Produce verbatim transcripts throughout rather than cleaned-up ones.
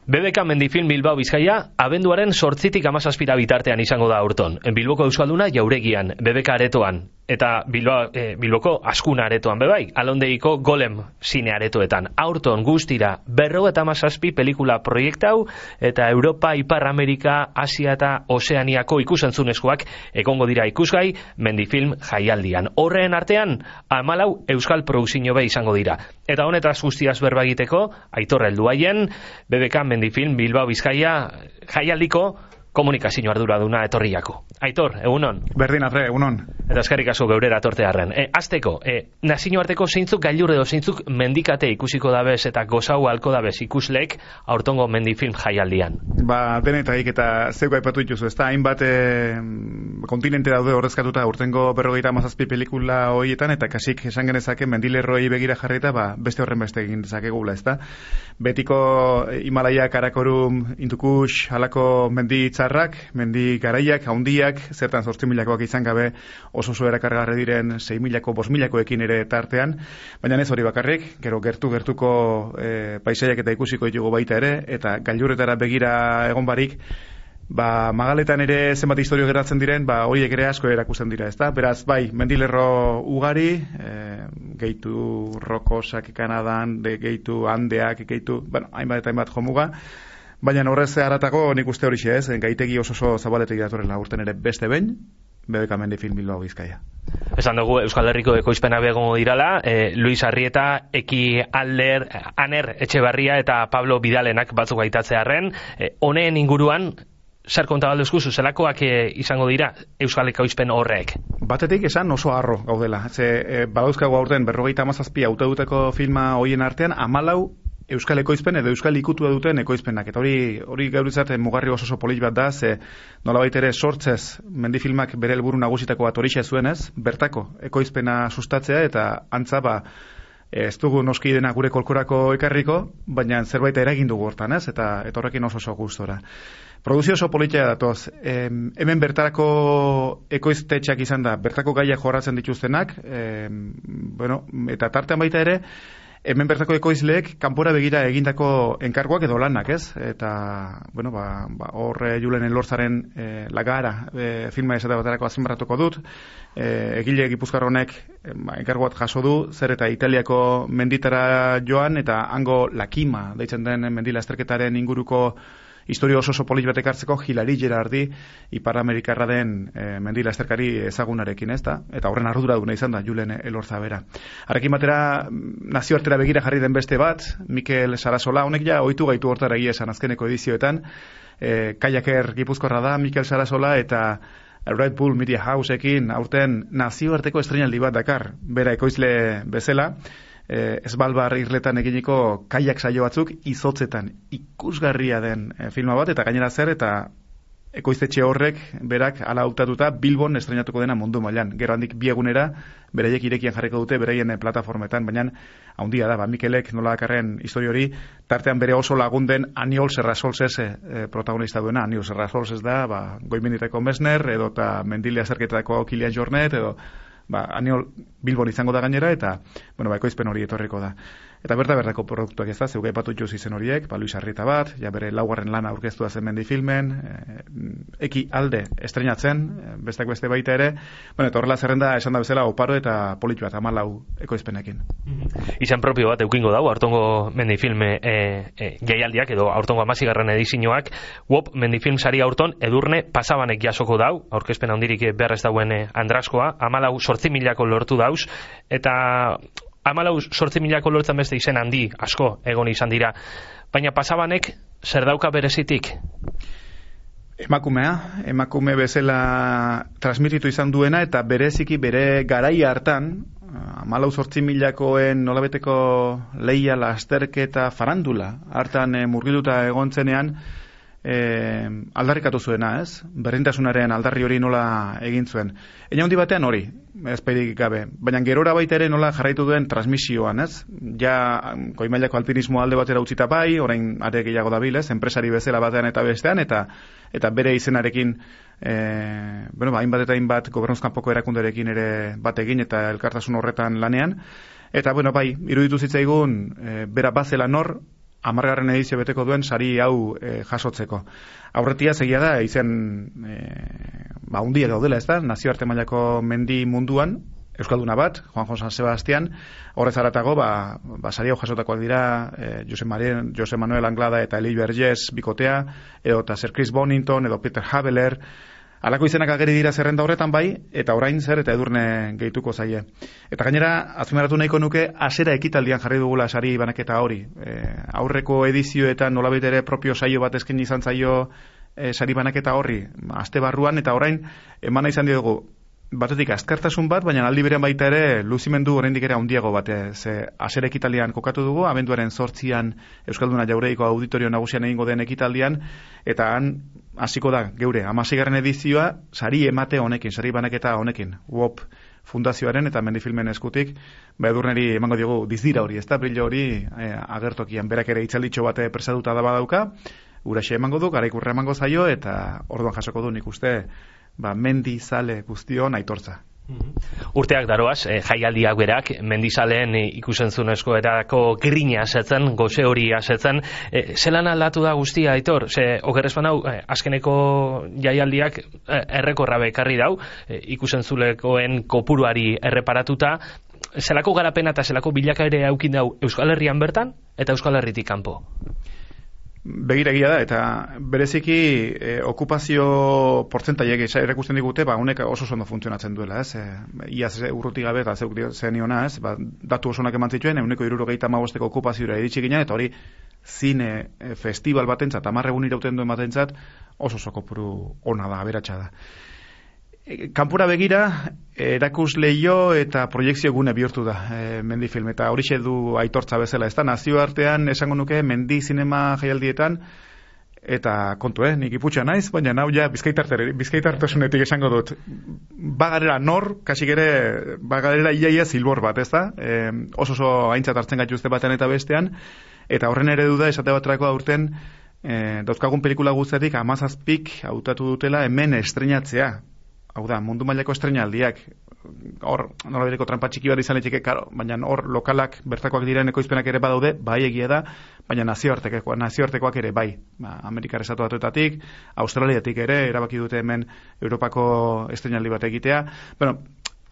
B B K Mendifilm Bilbao Bizkaia, abenduaren sortzitik amazazpira bitartean izango da aurton. Bilboko Euskalduna jauregian, B B K aretoan, eta Bilbao, eh, Bilboko Askuna aretoan bebai, alondeiko Golem zine aretoetan. Aurton guztira, berro eta amazazpi pelikula proiektau, eta Europa, Ipar Amerika, Asia eta Ozeaniako ikusentzunezkoak egongo dira ikusgai Mendifilm jaialdian. Horren artean, hamalau euskal produkzio be izango dira. Eta honetaz guztiaz berba egiteko, Aitor helduaien, B B K Mendifilm Bilbao Bizkaia jaialdiko komunikazio arduraduna etorriako. Aitor, egunon? Berdin atre, egunon. Eta eskerrik asko geurera tortearren. E, azteko, e, nazioarteko zeintzuk gailur edo zeintzuk mendikate ikusiko dabez eta gozau halko dabez ikusleek aurtongo Mendifilm jaialdian? Ba, denetaik eta zeuko aipatu dituzu, ezta hainbat e, kontinente daude horrezkatuta urtengo berrogeita hamazazpi pelikula horietan, eta kasik esan genezake mendilerroi begira jarrita, ba, beste horren beste egin dezakegula, ezta? Betiko Himalaya, Karakorum, Hindukush, halako mendi txarrak, mendi garaiak, haundiak, zertan zortzi milakoak izan gabe oso oso erakargarri diren sei milako, bost milakoekin ere tartean, baina ez hori bakarrik, gero gertu-gertuko e, paisaiak eta ikusiko ditugu baita ere, eta gailurretara begira egon barik, ba, magaletan ere zenbat historio geratzen diren, ba, horiek ere asko erakusten dira, ezta? Beraz, bai, mendilerro ugari, e, gehitu rokosak Kanadan, de gehitu Andeak, gehitu, bueno, hainbat eta hainbat jomuga, baina horrez haratago nik uste hori ez, gaitegi oso oso zabaletek datorrela urten ere beste behin, B B K Mendifilm Bilbao Bizkaia. Esan dugu Euskal Herriko ekoizpena begongo dirala, e, Luis Arrieta, Eki Alder, Aner Etxebarria eta Pablo Bidalenak batzuk aitatzearren, e, honeen inguruan, zer kontabalduzku zuzelakoak e, izango dira Euskal ekoizpen horrek? Batetik esan oso harro gaudela. Ze, e, badauzkago aurten berrogeita hamazazpi hautaduteko filma hoien artean, hamalau Euskal ekoizpen edo Euskal ikutua duten ekoizpenak. Eta hori hori gauritzat mugarri oso oso polit bat da, ze nolabait ere sortzez Mendifilmak bere helburu nagusitako bat horixe zuenez, bertako ekoizpena sustatzea eta antza ba ez dugu noski dena gure kolkorako ekarriko, baina zerbait eragin dugu hortan, ez? Eta eta horrekin oso oso gustora. Produzio oso politia datoz. E, hemen bertarako ekoiztetxeak izan da, bertako gaiak jorratzen dituztenak, e, bueno, eta tartean baita ere, hemen bertako ekoizleek kanpora begira egindako enkarguak edo lanak, ez? Eta, bueno, ba, ba hor Julen Elortzaren e, Lagara e, filma esate baterako azpimarratuko dut. E, egile Gipuzkoar honek e, ba, enkargu bat jaso du, zer eta Italiako menditara joan eta hango Lakima deitzen den mendila esterketaren inguruko historio oso oso polit batek hartzeko Hilari Gerardi Ipar Amerikarra den e, mendila esterkari ezagunarekin, ez da? Eta horren arduraduna izan da Julen Elorza bera. Harekin batera nazioartera begira jarri den beste bat, Mikel Sarasola, honek ja ohitu gaitu hortara egia esan azkeneko edizioetan, e, Kajaker Gipuzkoarra da Mikel Sarasola eta Red Bull Media Houseekin aurten nazioarteko estreinaldi bat dakar, bera ekoizle bezala, Eh, Esbalbar irletan eginiko kaiak saio batzuk izotzetan ikusgarria den eh, filma bat, eta gainera zer eta ekoiztetxe horrek berak hala hautatuta Bilbon estreinatuko dena mundu mailan. Gero handik bi egunera beraiek irekian jarriko dute beraien eh, plataformetan, baina haundia da, ba, Mikelek nola dakarren histori hori, tartean bere oso lagunden Aniol Serrasolses eh, protagonista duena. Aniol Serrasolses da, ba, Goimenditeko Mesner, edo eta Mendile azerketetako Kilian Jornet, edo ba, Aniol Bilbon izango da gainera, eta, bueno, ba, ekoizpen hori etorriko da. Eta berta bertako produktuak ez da, zeugai patu juz izen horiek, ba, Luis Arrieta bat, ja bere laugarren lana aurkeztua zen Mendifilmen, e, Eki Alde estreinatzen, bestak beste baita ere, bueno, eta horrela zerrenda esan da bezala oparo eta politu bat, hamalau ekoizpenekin. Mm-hmm. Izan propio bat eukingo dau, aurtongo Mendifilme e, e, jaialdiak, edo aurtongo amazigarren edizioak, wop Mendifilm sari aurton edurne pasabanek jasoko dau, aurkezpen handirik behar ez dauen e, Andraskoa, hamalau sortzi milako lortu dauz, eta hamalau sortzi milako lortzen beste izen handi asko egon izan dira. Baina pasabanek zer dauka berezitik? Emakumea, emakume bezala transmititu izan duena eta bereziki bere garaia hartan, hamalau sortzi milakoen nolabeteko leia, lasterketa, farandula hartan e, murgilduta egontzenean, E, aldarrikatu zuena, ez? Berdintasunaren aldarri hori nola egin zuen. Eina handi batean hori, ezpeirik gabe. Baina gerora baita ere nola jarraitu duen transmisioan, ez? Ja, goimailako alpinismo alde batera utzita bai, orain are gehiago dabil, ez? Enpresari bezala batean eta bestean, eta eta bere izenarekin, e, bueno, ba, hainbat eta hainbat gobernuzkanpoko erakunderekin ere bat egin eta elkartasun horretan lanean. Eta, bueno, bai, iruditu zitzaigun, e, bera bazela nor, hamargarren edizio beteko duen sari hau e, jasotzeko. Aurretia segia da, izen e, ba, hundia daudela, ez da, nazioarte mailako mendi munduan, euskalduna bat, Juanjo San Sebastian, horrez aratago, ba, ba, sari hau jasotakoak dira, e, Jose, Marien, Jose Manuel Anglada eta Elie Vergés bikotea, edo eta Sir Chris Bonington, edo Peter Habeler, alako izenak ageri dira zerrenda horretan bai, eta orain zer eta Edurne gehituko zaie. Eta gainera, azpimarratu nahiko nuke, hasera ekitaldian jarri dugula sari banaketa hori. E, aurreko edizioetan nolabait ere propio saio bat esken izan zaio e, sari banaketa horri, aste barruan, eta orain emana izan diogu, batetik azkartasun bat, baina aldi berean baita ere luzimendu oraindik ere handiago bat, ze hasera ekitaldian kokatu dugu, abenduaren zortzian Euskalduna Jauregiko auditorio nagusian egingo den ekitaldian, eta han hasiko da geure hamaseigarren edizioa sari emate honekin, sari banaketa honekin, U O P Fundazioaren eta Mendifilmen eskutik, ba Edurneri emango diogu dizdira hori, ezta brillo hori e, agertokian, berak ere hitzalditxo bate prestatuta da badauka, uraxe emango du, garaikurra emango zaio, eta orduan jasoko du nik uste ba, mendizale guztion aitortza. Urteak daroaz, eh, jaialdiak berak, mendizaleen eh, ikusentzunezko erako grina asetzen, goze hori asetzen, eh, zelan aldatu da guztia, Aitor? Ze, okerrezpan hau, eh, azkeneko jaialdiak eh, errekorra bekarri dau, eh, ikusentzulekoen kopuruari erreparatuta, zelako garapena eta zelako bilakaere aukin dau Euskal Herrian bertan, eta Euskal Herritik kanpo? Begiragia da, eta bereziki e, okupazio portzentaiek erakusten digute, ba, honek oso ondo funtzionatzen duela, ez? E, iaz urruti gabe, eta zeuk zeniona, ez? Ba, datu osonak eman zituen, euneko hirurogeita hamabosteko okupazioa iritsi gina, eta hori zine e, festival batentzat, hamar egun irauten duen batentzat, oso oso kopuru ona da, aberatsa da. E, kanpura begira, erakusleio eta proiekzio gune bihurtu da e, Mendifilm, eta horixe du aitortza bezala, ez da, nazioartean esango nuke Mendi zinema jaialdietan, eta kontu, eh, nik iputxa naiz, baina nau ja bizkaitartasunetik esango dut. Bagarera nor, kasik ere, bagarera iaia zilbor bat, ez da, e, oso oso aintzat hartzen gaituzte batean eta bestean, eta horren ere du da, esate baterako aurten, e, dauzkagun pelikula guztetik amazazpik hautatu dutela hemen estrenatzea. Hau da, mundu mailako estreinaldiak, hor, nola bereko trampa txiki bat izan etxike, baina hor lokalak bertakoak diren ekoizpenak ere badaude, bai egia da, baina nazioartekoak, nazioartekoak ere bai. Ba, Amerikar Estatu Batuetatik, Australiatik ere, erabaki dute hemen Europako estreinaldi bat egitea. Bueno,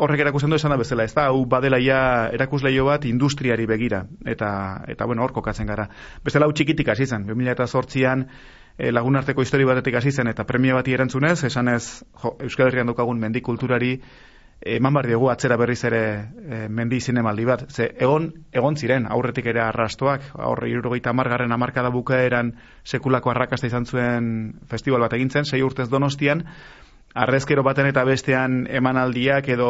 horrek erakusten du esan da bezala, ez da, hau badela ja erakusleio bat industriari begira, eta, eta bueno, hor kokatzen gara. Bestela hau txikitik hasi zen, bi mila zortzian, E, lagunarteko histori batetik hasi zen eta premia bati erantzunez, esanez jo, Euskal Herrian daukagun mendi kulturari eman bar diogu atzera berriz ere e, mendi zinemaldi bat. Ze egon egon ziren aurretik ere arrastoak, aurre hirurogeita hamargarren hamarkada bukaeran sekulako arrakasta izan zuen festival bat egin zen, sei urtez Donostian, arrezkero baten eta bestean emanaldiak edo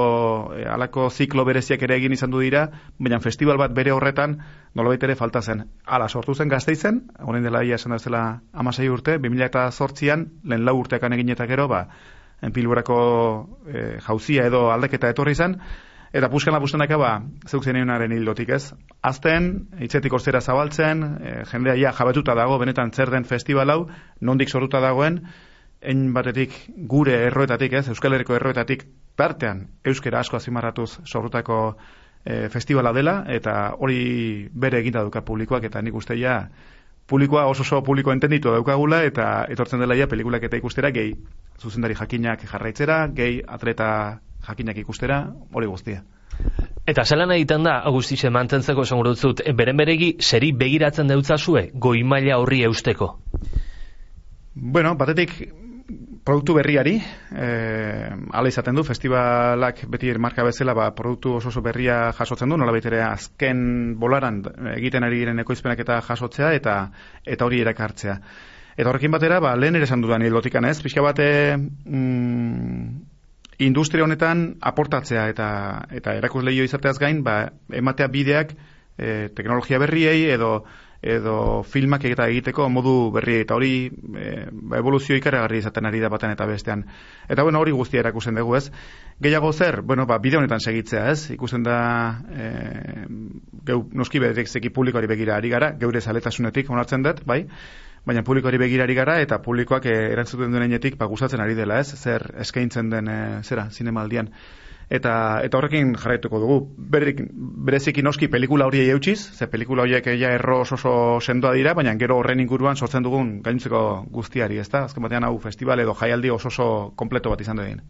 e, alako ziklo bereziak ere egin izan du dira, baina festival bat bere horretan nolabait ere falta zen. Hala, sortu zen Gasteizen, orain dela ia esan da zela hamasei urte, bi mila zortzian, lehen lau urteakan egin eta gero, ba, Pilborako e, jauzia edo aldeketa etorri zen, eta puskana pustenaka, ba, zeuk zenionaren hildotik, ez? Azten, hitzetik orzera zabaltzen, e, jendea ja jabetuta dago, benetan zer den festival hau, nondik sortuta dagoen, ein batetik gure erroetatik, ez, Euskal Herriko erroetatik tartean euskera asko azimarratuz sortutako e, festivala dela, eta hori bere eginda duka publikoak, eta nik uste ja publikoa oso oso publiko entenditu daukagula, eta etortzen dela ja pelikulak eta ikustera, gehi zuzendari jakinak jarraitzera, gehi atleta jakinak ikustera, hori guztia. Eta zelan egiten da, Agustize, mantentzeko esan gurutzut, beren beregi zeri begiratzen deutzazue, goi maila horri eusteko? Bueno, batetik produktu berriari, eh, ala izaten du, festivalak beti marka bezala, ba, produktu oso oso berria jasotzen du, nolabait ere azken bolaran egiten ari diren ekoizpenak eta jasotzea, eta eta hori erakartzea. Eta horrekin batera, ba, lehen ere esan dudan hildotikan, ez? Pixka bate mm, industria honetan aportatzea eta eta erakusleio izateaz gain, ba, ematea bideak e, teknologia berriei edo edo filmak eta egiteko modu berri, eta hori e, ba, evoluzio ikaragarri izaten ari da batean eta bestean. Eta bueno, hori guztia erakusten dugu, ez? Gehiago zer, bueno, ba, bide honetan segitzea, ez? Ikusten da e, geu, noski bereziki publikoari begira ari gara, geure zaletasunetik onartzen dut, bai? baina publikoari begirari gara, eta publikoak eh, erantzuten duenetik ba, gustatzen ari dela, ez? Zer eskaintzen den, eh, zera, zinemaldian. Eta, eta horrekin jarraituko dugu. Berrik, bereziki noski pelikula horiei eutxiz, ze pelikula horiek ja erro oso, oso sendoa dira, baina gero horren inguruan sortzen dugun gaintzeko guztiari, ezta? Azken batean hau festival edo jaialdi oso oso kompleto bat izan duen.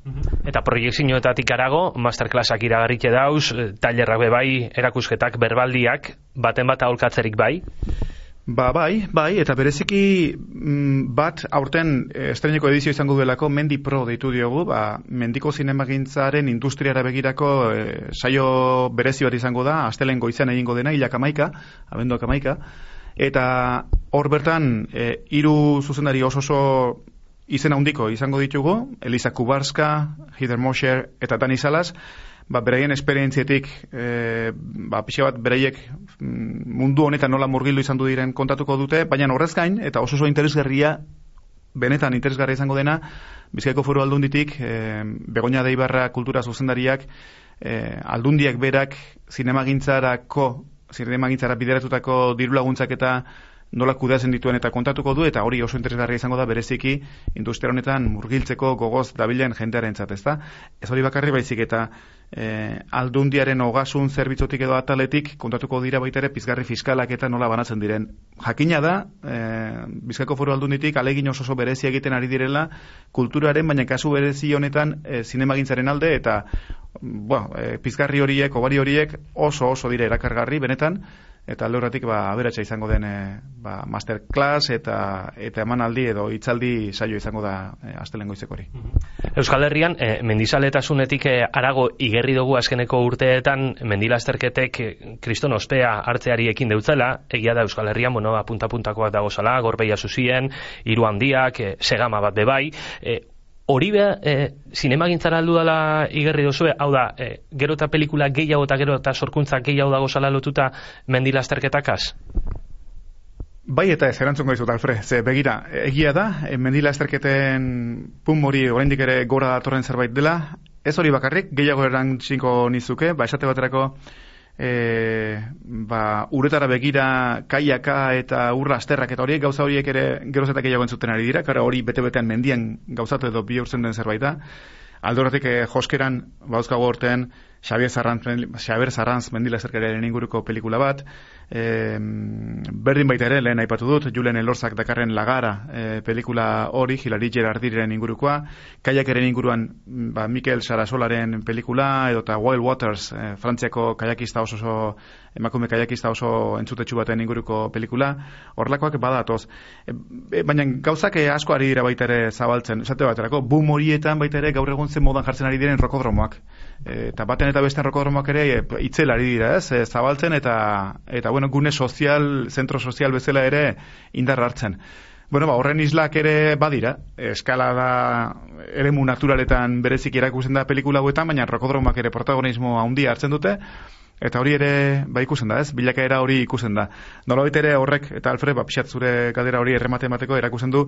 Eta proiektzioetatik arago, masterclassak iragarrike dauz, tailerrak be bai, erakusketak, berbaldiak, baten bat aholkatzerik bai? Ba, bai, bai, eta bereziki mm, bat aurten estreineko edizio izango duelako Mendi Pro deitu diogu, ba, mendiko zinemagintzaren industriara begirako e, saio berezi bat izango da, astelen goizean egingo dena, hilak amaika, abenduak amaika, eta hor bertan e, hiru zuzendari oso oso izen handiko izango ditugu, Elisa Kubarska, Heather Mosher eta Dani Salas, ba, beraien esperientzietik e, ba, pixe bat beraiek mundu honetan nola murgildu izan du diren kontatuko dute, baina horrez gain, eta oso oso interesgarria, benetan interesgarria izango dena, Bizkaiko Foru Aldunditik, e, Begoña de Ibarra kultura zuzendariak, e, aldundiak berak zinemagintzarako, zinemagintzara bideratutako diru laguntzak eta nola kudeatzen dituen eta kontatuko du, eta hori oso interesgarria izango da bereziki industria honetan murgiltzeko gogoz dabilen jendearentzat, ezta? Ez hori bakarri baizik eta e, aldundiaren ogasun zerbitzotik edo ataletik kontatuko dira baita ere pizgarri fiskalak eta nola banatzen diren. Jakina da, e, Bizkaiko Foru Aldunditik alegin oso oso berezi egiten ari direla kulturaren, baina kasu berezi honetan e, zinemagintzaren alde, eta bueno, e, pizgarri horiek, obari horiek oso oso dira erakargarri benetan, eta alde horretik ba, aberatsa izango den e, ba, masterclass eta eta emanaldi edo hitzaldi saio izango da e, astelehen goizeko hori. Euskal Herrian, e, mendizaletasunetik e, arago igerri dugu azkeneko urteetan mendilasterketek e, kriston ospea hartzeari ekin deutzela, egia da Euskal Herrian, bueno, apunta-puntakoak dagozala, Gorbeia Zuzien, Hiru Handiak, e, Segama bat bebai, e, hori beha, e, zinemagintzara aldu dela igerri dozue, hau da, e, gero eta pelikula gehiago eta gero eta sorkuntza gehiago dago zala lotuta mendilasterketakaz? Bai eta ez, erantzungo dizut, Alfred, ze begira, egia da, e, mendilasterketen pum hori oraindik ere gora datorren zerbait dela, ez hori bakarrik, gehiago erantziko nizuke, ba, esate baterako, E, ba, uretara begira kaiaka eta urra asterrak eta horiek gauza horiek ere geroz eta gehiago entzuten ari dira, kara hori bete-betean mendian gauzatu edo bihurtzen den zerbait da. Aldoratik eh, joskeran bauzkago horten Xabier Sarranz, Xabier Sarranz mendilasterketaren inguruko pelikula bat, e, berdin baita ere, lehen aipatu dut, Julen Elorzak dakarren Lagara e, pelikula hori, Hilari Gerardiren ingurukoa, kaiakeren inguruan ba, Mikel Sarasolaren pelikula, edo eta Wild Waters, e, Frantziako kaiakista oso, oso emakume kaiakista oso entzutetsu baten inguruko pelikula, horrelakoak badatoz. E, e, baina gauzak asko ari dira baita ere zabaltzen, esate baterako, boom horietan baita ere gaur egun zen modan jartzen ari diren rokodromoak. E, eta baten eta beste rokodromoak ere e, itzel ari dira, ez, e, zabaltzen eta eta bueno, gune sozial, zentro sozial bezala ere indar hartzen. Bueno, ba, horren islak ere badira, eskalada eremu naturaletan berezik erakusten da pelikula hauetan, baina rokodromoak ere protagonismo handia hartzen dute, eta hori ere ba ikusten da, ez? Bilakaera hori ikusten da. Nolabait ere horrek, eta Alfred, ba, pixat zure galdera hori erremate emateko erakusten du,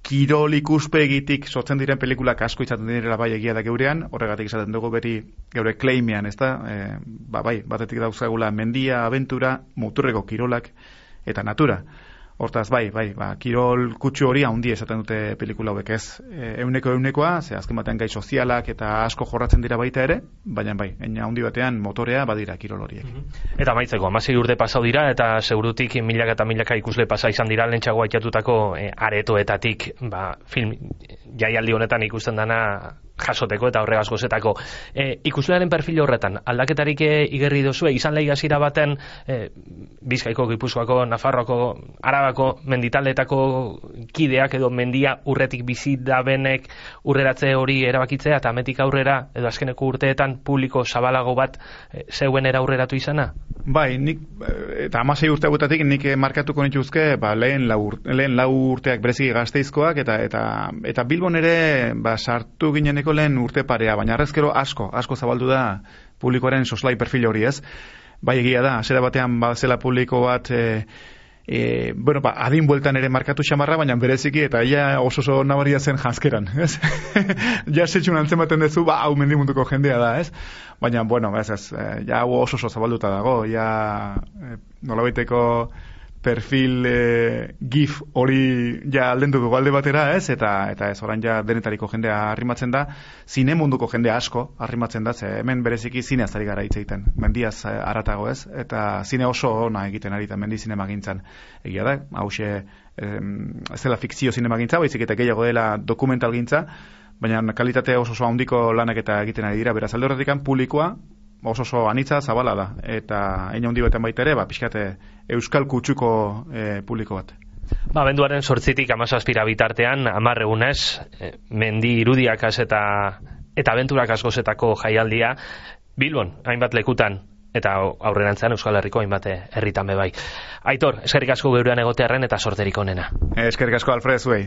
kirol ikuspegitik sortzen diren pelikulak asko izaten direla bai egia da geurean, horregatik izaten dugu beti geure claimean, ezta? E, ba, bai, batetik dauzkagula mendia, abentura, muturreko kirolak eta natura. Hortaz, bai, bai, ba, kirol kutsu hori handi esaten dute pelikula hauek, ez e, euneko eunekoa, ze azken batean gai sozialak eta asko jorratzen dira baita ere, baina bai, eina handi batean motorea badira kirol horiek. Eta maitzeko, hamasei urte pasau dira, eta segurutik milaka eta milaka ikusle pasa izan dira lentsago aitatutako e, aretoetatik, ba, film jaialdi honetan ikusten dana jasoteko eta horregaz gozetako. E, ikuslearen perfil horretan, aldaketarik e, igerri dozue, izan lehi gazira baten e, Bizkaiko, Gipuzkoako, Nafarroako, Arabako menditaldeetako kideak edo mendia urretik bizi dabenek urreratze hori erabakitzea eta ametik aurrera edo azkeneko urteetan publiko zabalago bat e, zeuenera aurreratu izana? Bai, nik, eta hamasei urte hauetatik nik markatuko nituzke ba, lehen, lau, lehen lau urteak bereziki Gasteizkoak eta eta eta Bilbon ere ba, sartu gineneko lehen urte parea, baina arrezkero asko, asko zabaldu da publikoaren soslai perfil hori, ez? Bai egia da, zera batean bazela publiko bat e, e, bueno, ba, adin bueltan ere markatu xamarra, baina bereziki eta ia oso oso nabaria zen janzkeran, ez? Ja setxun antzen baten dezu, ba, hau mendimunduko jendea da, ez? Baina, bueno, ez, ez, ja hau oso oso zabalduta dago, ja e, nolabaiteko perfil e, gif hori ja aldenduko alde batera, ez? Eta eta ez orain ja denetariko jendea arrimatzen da, zine munduko jendea asko arrimatzen da, ze hemen bereziki zineaz ari gara hitz egiten. Mendiaz haratago, ez? Eta zine oso ona egiten ari da mendi zinemagintzan. Egia da, hauxe ez dela fikzio zinemagintza, baizik eta gehiago dela dokumentalgintza, baina kalitate oso oso handiko lanak eta egiten ari dira. Beraz, alde horretik publikoa oso oso anitza zabala da, eta hein handi baten baita ere, ba, pixkate euskal kutsuko e, publiko bat. Ba, abenduaren sortzitik amazazpira bitartean, hamar egunez, mendi irudiakaz eta eta abenturak askozetako jaialdia, Bilbon, hainbat lekutan, eta aurrerantzean Euskal Herriko hainbat herritan bebai. Aitor, eskerrik asko geurean egotearren eta sorterik onena. Eskerrik asko Alfred zuei.